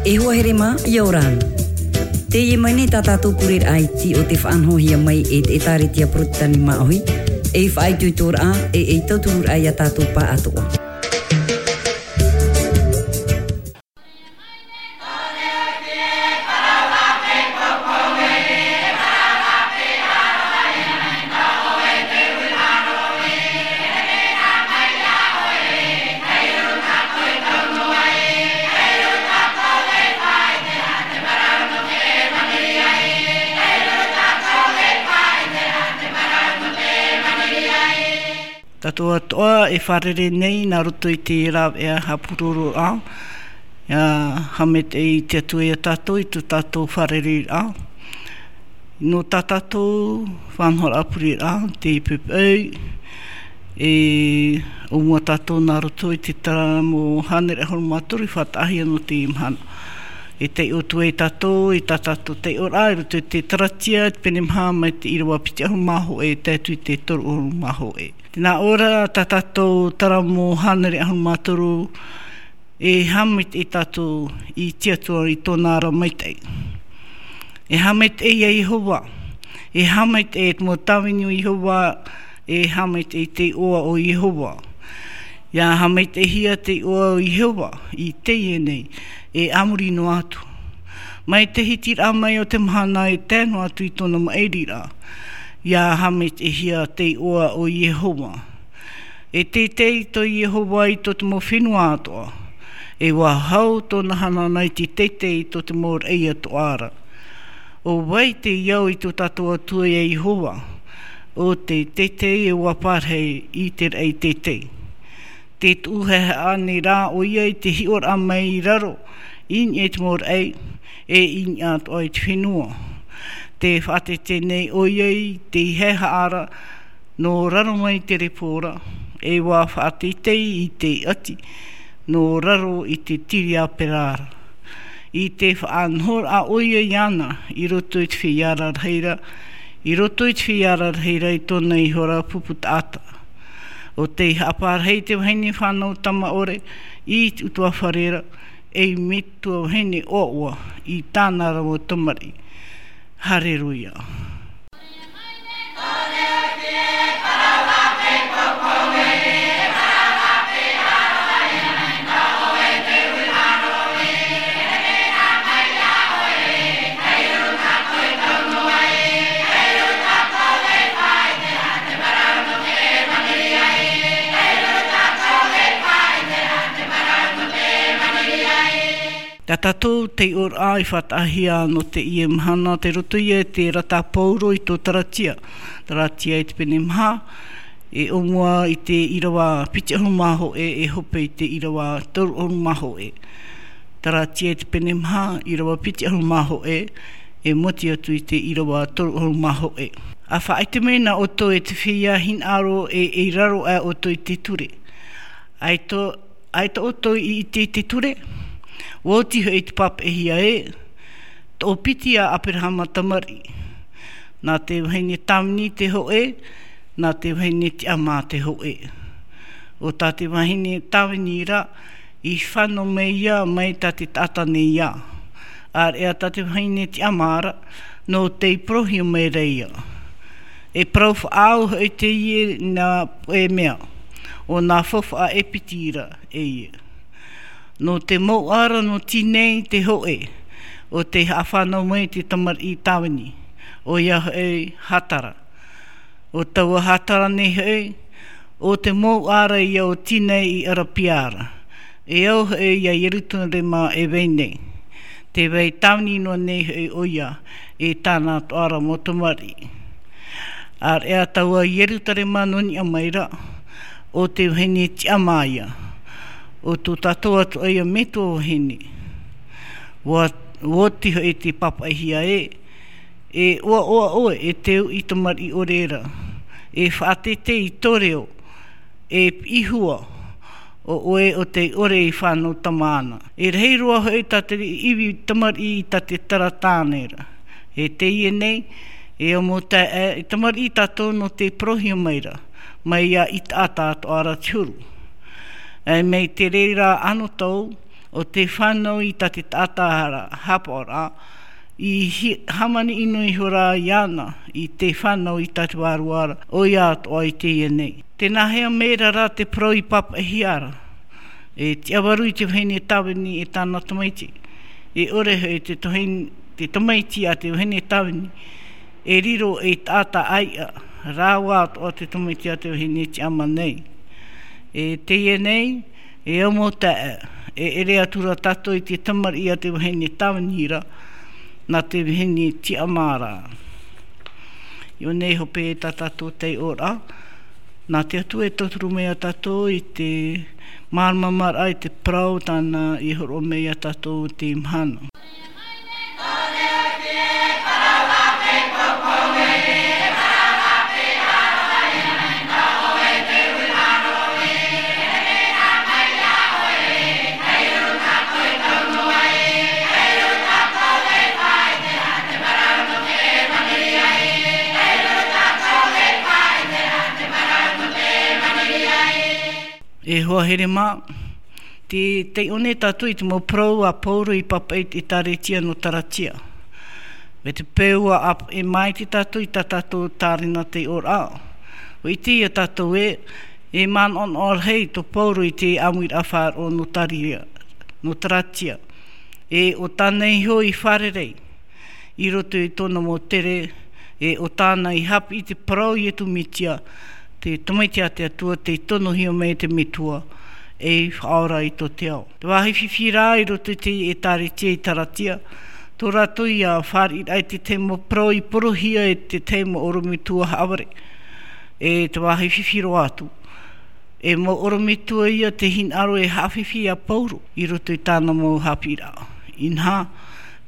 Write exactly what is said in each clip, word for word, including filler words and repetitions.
E hoa here mā, ʻia ora na. Teie mai nei tā tātou pureraʻa iti o te faʻanahohia mai e te ʻĒtārētia Porotetani Māʻohi, ei faʻaitoitoraʻa, e ei tautururaʻa ia tātou pāʻatoʻa. Tātou atoʻa e fārerei nei nā roto i te rāveʻa haʻapurororaʻa, ʻia haʻamaitaʻi te Atua ia tātou i tō tātou fārereiraʻa. Nō tā tātou faʻanahoraʻa pureraʻa, te poʻipoʻi, e ʻōmua tātou nā roto i te taramo hānere ʻahuru mā toru i faʻataʻahia nō teie mahana. E taiʻo atu ai tātou, i tā tātou taiʻoraʻa, i roto i te Taratia, te pene maha mai te ʻīrava piti ʻahuru mā hōʻē, tae atu i te toru ʻahuru mā hōʻē. Tē nā ʻō ra tā tātou taramo hānere ʻahuru mā toru, e haʻamaitaʻi tātou i te Atua i tōna ra maitaʻi. E haʻamaitaʻi ia Iehova, e haʻamaitaʻi te mau tāvini o Iehova, e haʻamaitaʻi te iʻoa o Iehova. ʻIa haʻamaitaʻihia te iʻoa o Iehova i teie nei, e a muri noa atu. Mai te hitiraʻa mai o te mahana e tae noa atu i tōna maʻiriraʻa, ʻia haʻamaitaʻihia te iʻoa o Iehova. E teitei tō Iehova i tō te mau fenua atoʻa. E ʻua hau tōna hanahana i te teitei i tō te mau raʻi atoʻa ra. ʻO vai te au i tō tātou Atua ia Iehova? ʻO te teitei e ʻua parahi i te raʻi teitei. Tē tuʻu haʻehaʻa nei rā ʻoia i te hiʻoraʻa mai i raro, i niʻa i te mau raʻi, e i niʻa atoʻa i te fenua. Tē faʻateitei nei ʻoia i te haʻehaʻa ra, nō raro mai te repo ra, e ʻua faʻateitei i te ʻati, nō raro i te tiriāpera ra. I te faʻanahoraʻa ʻoia iāna, i roto i te feiā rarahi ra, i roto i te feiā rarahi ra i tōna iho ra pupu taʻata. ʻO tei haʻaparahi te vahine fānau tamaʻore i te ʻutuāfare ra, ei metua vahine ʻoaʻoa i tāna ra mau tamariʻi. Hareruia. Tā tātou taiʻoraʻa i faʻataʻahia nō teie mahana, tei roto ia i te rata a Paulo i tō Taratia. Taratia i te pene maha, e ʻōmua i te ʻīrava piti ʻahuru mā hōʻē, e hope i te ʻīrava toru ʻahuru mā hōʻē. Taratia i te pene maha, ʻīrava piti ʻahuru mā hōʻē, e moti atu i te ʻīrava toru ʻahuru mā hōʻē. ʻA faʻaʻite mai na ʻoutou e te feiā hinaʻaro e, e raro aʻe ʻoutou i te ture. ʻAita, ʻaita ʻoutou i ʻite i te ture, ʻua oti hoʻi te pāpaʻihia ē, toʻopiti a Aperahama tamariʻi. Nā te vahine tāvini te hōʻē, nā te vahine tiʻamā te hōʻē. ʻO tā te vahine tāvini ra, i fānau mai ïa mai tā te taʻata nei ïa. ʻĀreʻa tā te vahine tiʻamā ra, nō tei parauhia mai ra ïa. E parau faʻaau hoʻi teie nā, e mea, ʻo nā faufaʻa e piti ra e ia. Nō te mouʻa ra nō Tinei te hōʻē, ʻo tei haʻafānau mai te tamariʻi tāvini, ʻoia hoʻi Hatara. ʻO taua Hatara nei hoʻi, ʻo te mouʻa ra ïa o Tinei i ʻArapia ra. E au hoʻi ia Ierutarema e vai nei. Tē vai tāvini noa nei hoʻi ʻoia, e tāna atoʻa ra mau tamariʻi. ʻĀreʻa taua Ierutarema nō niʻa mai ra, ʻo te vahine tiʻamā ïa, ʻo tō tātou atoʻa ïa metua vahine. ʻUa, ʻua oti hoʻi te pāpaʻihia ē, e ʻoaʻoa ʻoe e te uʻi tamariʻi ʻore ra, e faʻateitei i tō reo, e piʻi hua, ʻo ʻoe ʻo tei ʻore i fānau tamāna. E rahi roa hoʻi tā te ivi tamariʻi i tā te tara tāne ra. E teie nei, e au mau taeaʻe, e tamariʻi tātou nō tei parauhia mai ra, mai ia i taʻata atoʻa ra te huru. E mai te reira anotau, o te fānau i tā te taʻata ra haʻapaʻoraʻa, i hi-, hāmani ʻino ihora iāna i te fānau i tā te vārua ra, ʻoia atoʻa i teie nei. Tē nāhea mai ra rā te parau i pāpaʻihia ra? E tiʻavaru i te vahine tāvini e tāna tamaiti. E ʻore hoʻi te tohi-, te tamaiti a te vahine tāvini, e riro ei taʻata ʻāiʻa, rāua atoʻa te tamaiti a te vahine tiʻama nei. E teie nei, e au mau taeaʻe, e ʻere atu ra tātou i te tamariʻi a te vahine tāvini ra, nā te vahine tiʻama ra. Iō nei hope tā tātou taiʻoraʻa, nā te Atua e tauturu mai iā tātou i te māramarama i te parau tāna i hōroʻa mai iā tātou i teie mahana. E hoa here mā, tē taiʻo nei tātou i te mau parau a Pauro i pāpaʻi i te ʻĒtārētia nō Taratia. Mai te peu ʻua ʻāpeʻe mai tātou i tā tātou tārena taiʻoraʻa. ʻUa ʻite ia tātou ē, e manaʻonaʻo rahi tō Pauro i te ʻāmuiraʻa faʻaroʻo nō Taria, nō Taratia. E ʻo tāna iho i fārerei i roto i tōna mau tere, e ʻo tāna i haʻapiʻi i te parau o Ietu Metia, te tamaiti a te Atua, tei tonohia mai e te Metua, ei Faʻaora i tō te ao. Te vāhi fifi rā i roto i te ʻĒtārētia i Taratia, tō rātou ia fāriʻiraʻa i te tahi mau parau i porohia e te tahi mau ʻorometua haʻavare. E te vāhi fifi roa atu, e mau ʻorometua ia tei hinaʻaro e haʻafifi iā Pauro i roto i tāna mau haʻapiʻiraʻa. Inaha,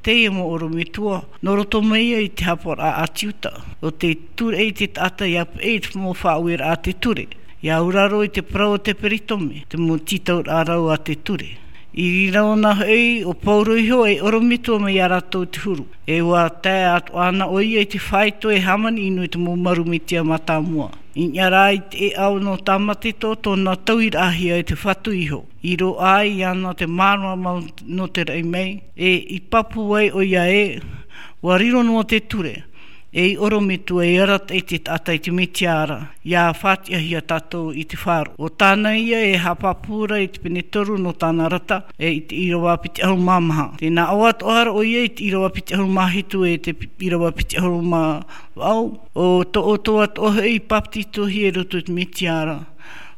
teie mau ʻorometua, nō roto mai ia i te haʻapaʻoraʻa ʻĀti Iuta, ʻo tē ture i te taʻata ia peʻe i te mau faʻaueraʻa a te ture, ia auraro i te parau o te peritome, te mau tītauraʻa rau a te ture. I reira ʻōna hoʻi, ʻo Pauro iho ei ʻorometua mai iā rātou te huru. E ʻua tae atoʻa ana ʻoia i te faito e hāmani ʻino i te mau marū Metia mātāmua. I niʻa rā i te ʻēʻa nō Tāmate tō tōna tauiraʻahia e te Fatu iho, i roaʻa ai iāna te māramarama nō te raʻi mai, e i pāpū ai ʻoia ē, ʻua riro noa te ture, ei ʻorometua e arataʻi i te taʻata i te Metia ra, ia faʻatiʻahia tātou i te faʻaroʻo. ʻO tāna ia e haʻapāpū ra i te pene toru nō tāna rata, e i te ʻīrava piti ʻahuru mā maha. Tē nā ʻō atoʻa ra ʻoia i te ʻīrava piti ʻahuru mā hitu e te pi-, ʻīrava piti ʻahuru mā vaʻu, ʻo tō ʻoutou atoʻa hoʻi i bāpetizohia i roto i te Metia ra,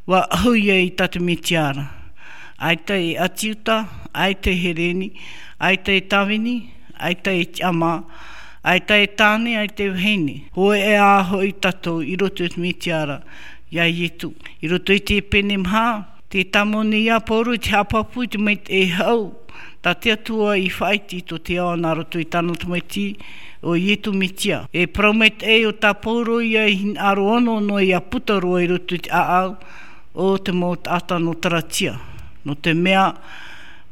ʻua ʻahu ia i tā te Metia ra. ʻAita e ʻĀti Iuta, ʻaita e Hereni, ʻaita e tāvini, ʻaita e tiʻamā, ʻaita e tāne, ʻaita e vahine. Hōʻē ā hoʻi tātou i roto i te Metia ra, iā Ietu. I roto i te pene maha, tē tāmau nei ā Pauro i te haʻapāpū i te maitaʻi hau tā te Atua i faʻaiti i tō te ao nā roto i tāna tamaiti, ʻo Ietu Metia. E parau maitaʻi ʻo tā Pauro ia i hinaʻaro ono noa ia puta roa i roto i te ʻāʻau o te mau taʻata nō Taratia. Nō te mea,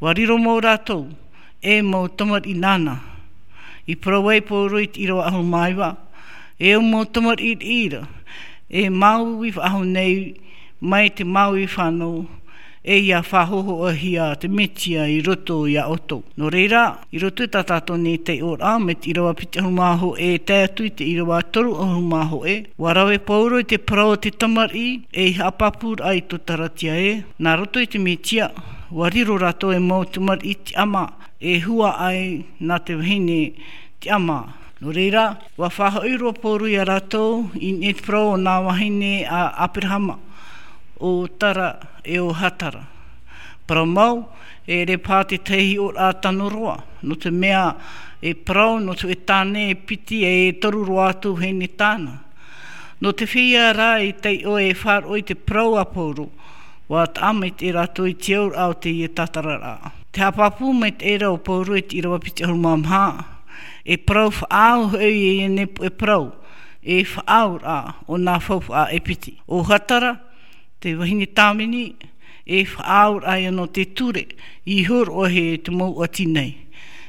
ʻua riro mau rātou, e mau tamariʻi nāna. I parau ai Pauro i te ʻīrava ʻahuru mā iva, e au mau tamariʻi riʻi ra, e māuiui faʻahou nei mai te māuiui fānau, e ia faʻahōhoʻahia te Metia i roto iā ʻoutou. Nō reira, i roto i tā tātou nei taiʻoraʻa, mai te ʻīrava piti ʻahuru mā hōʻē e tae atu i te ʻīrava toru ʻahuru mā hōʻē, ʻua rave Pauro i te parau o te tamariʻi, ei haʻapāpūraʻa i tō Taratia ē, nā roto i te Metia, ʻua riro rātou ei mau tamariʻi tiʻamā, e huaʻai nā te vahine tiʻamā. Nō reira, ʻua faʻahoʻi roa Pauro iā rātou i niʻa i te parau o nā vahine a Aperahama, ʻo Tara e ʻo Hatara. Parau mau, e ʻere paha te tahi hiʻoraʻa tano roa, nō te mea e parau nō te tāne e piti e toru roa atu vahine tāna. Nō te feiā rā e taiʻo e faʻaroʻo i te parau a Pauro, ʻua taʻa maitaʻi rātou i te auraʻa o teie tātararaʻa. Te haʻapāpū maitaʻi ra ʻo Pauro i te ʻīrava piti ʻahuru mā maha, e parau faʻaau hoʻi i ʻōna puʻe parau, e faʻaauraʻa o nā faufaʻa e piti. ʻO Hatara, te vahine tāvini, e faʻaauraʻa ia nō te ture, i hōroʻahia e te mau ʻati nei.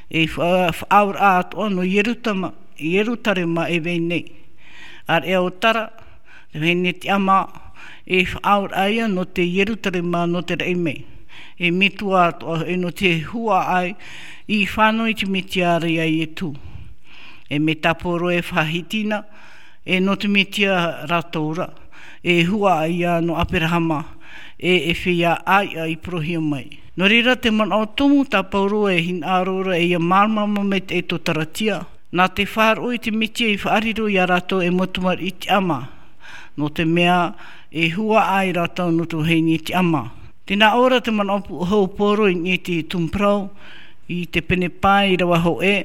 E fa-, faʻaauraʻa atoʻa nō Ierutama-, Ierutarema e vai nei. ʻĀreʻa ʻo Tara, te vahine tiʻamā, e faʻaauraʻa ia nō te Ierutarema nō te raʻi mai. E metua atoʻa hoʻi nō te huaʻai i fānau i te Mesia ra iā Ietu. E mai tā Pauro e faʻahiti na, e nō te Mesia rātou ra, e huaʻai ia nō Aperahama, e, e feiā ʻāiʻa i parauhia mai. Nō reira te manaʻo tumu tā Pauro e hinaʻaro ra e ia māramarama mai te ʻaito taratia. Nā te faʻaroʻo i te Mesia i faʻariro iā rātou e mau tamariʻi tiʻamā. Nō te mea e huaʻai rātou nō te vahine tiʻamā. Tē nā ʻō ra te manaʻo pūʻohu o Pauro i niʻa i te tumu parau, i te pene pae ʻīrava hōʻē,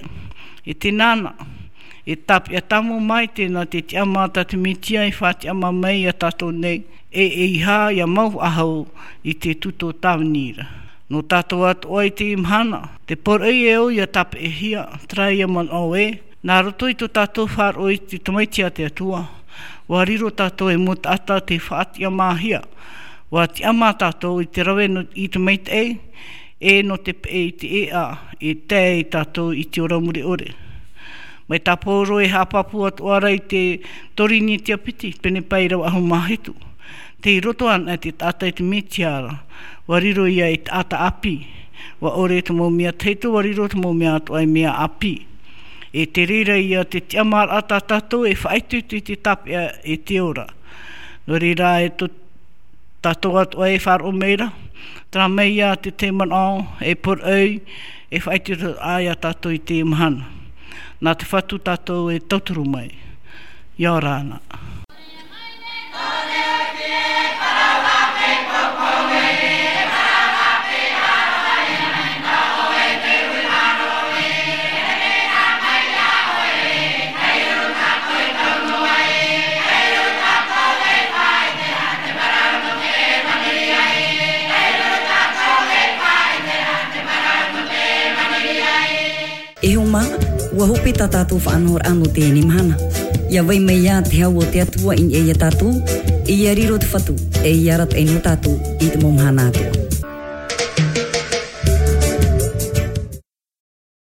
e tēnā na, e tāpeʻa tāmau maitaʻi nā te tiʻamā tā te Mesia e faʻatiʻamā mai iā tātou nei, e, e ʻeiaha ia mau faʻahou i te tuatāpaparaʻa ra. Nō tātou atoʻa i teie mahana, te poroʻi e au ia tāpeʻahia, terā ia manaʻo ē, nā roto i tō tātou faʻaroʻo i te Tamaiti a te Atua, ʻua riro tātou ei mau taʻata tei faʻatiʻamāhia, ʻua tiʻamā tātou i te rave nō, i te maitaʻi, e nō te peʻe i te ʻēʻa, e tae ai tātou i te ora mure ʻore. Mai tā Pauro e haʻapāpū atoʻa ra i te Korinetia piti, pene pae ʻīrava ʻahuru mā hitu. Tei roto anaʻe te taʻata i te Mesia ra, ʻua riro ia ei taʻata ʻāpī. ʻUa ʻore te mau mea tahito, ʻua riro te mau mea atoʻa ei mea ʻāpī. E te reira ia te tiʻamāraʻa tā tātou e faʻaitoito i te tāpeʻa e te ora. Nō reira e tō tātou atoʻa e faʻaroʻo mai ra, terā mai ia te, te manaʻo e poroʻi, e faʻaitoito atoʻa iā tātou i teie mahana. Nā te Fatu tātou e tauturu mai. ʻIa ora na. E hoa mā, ʻua hope tā tātou faʻanahoraʻa nō teie mahana. ʻIa vai mai ā te hau o te Atua i niʻa iā tātou, e ʻia riro te Fatu, e ʻia arataʻi nō tātou i te mau mahana atoʻa.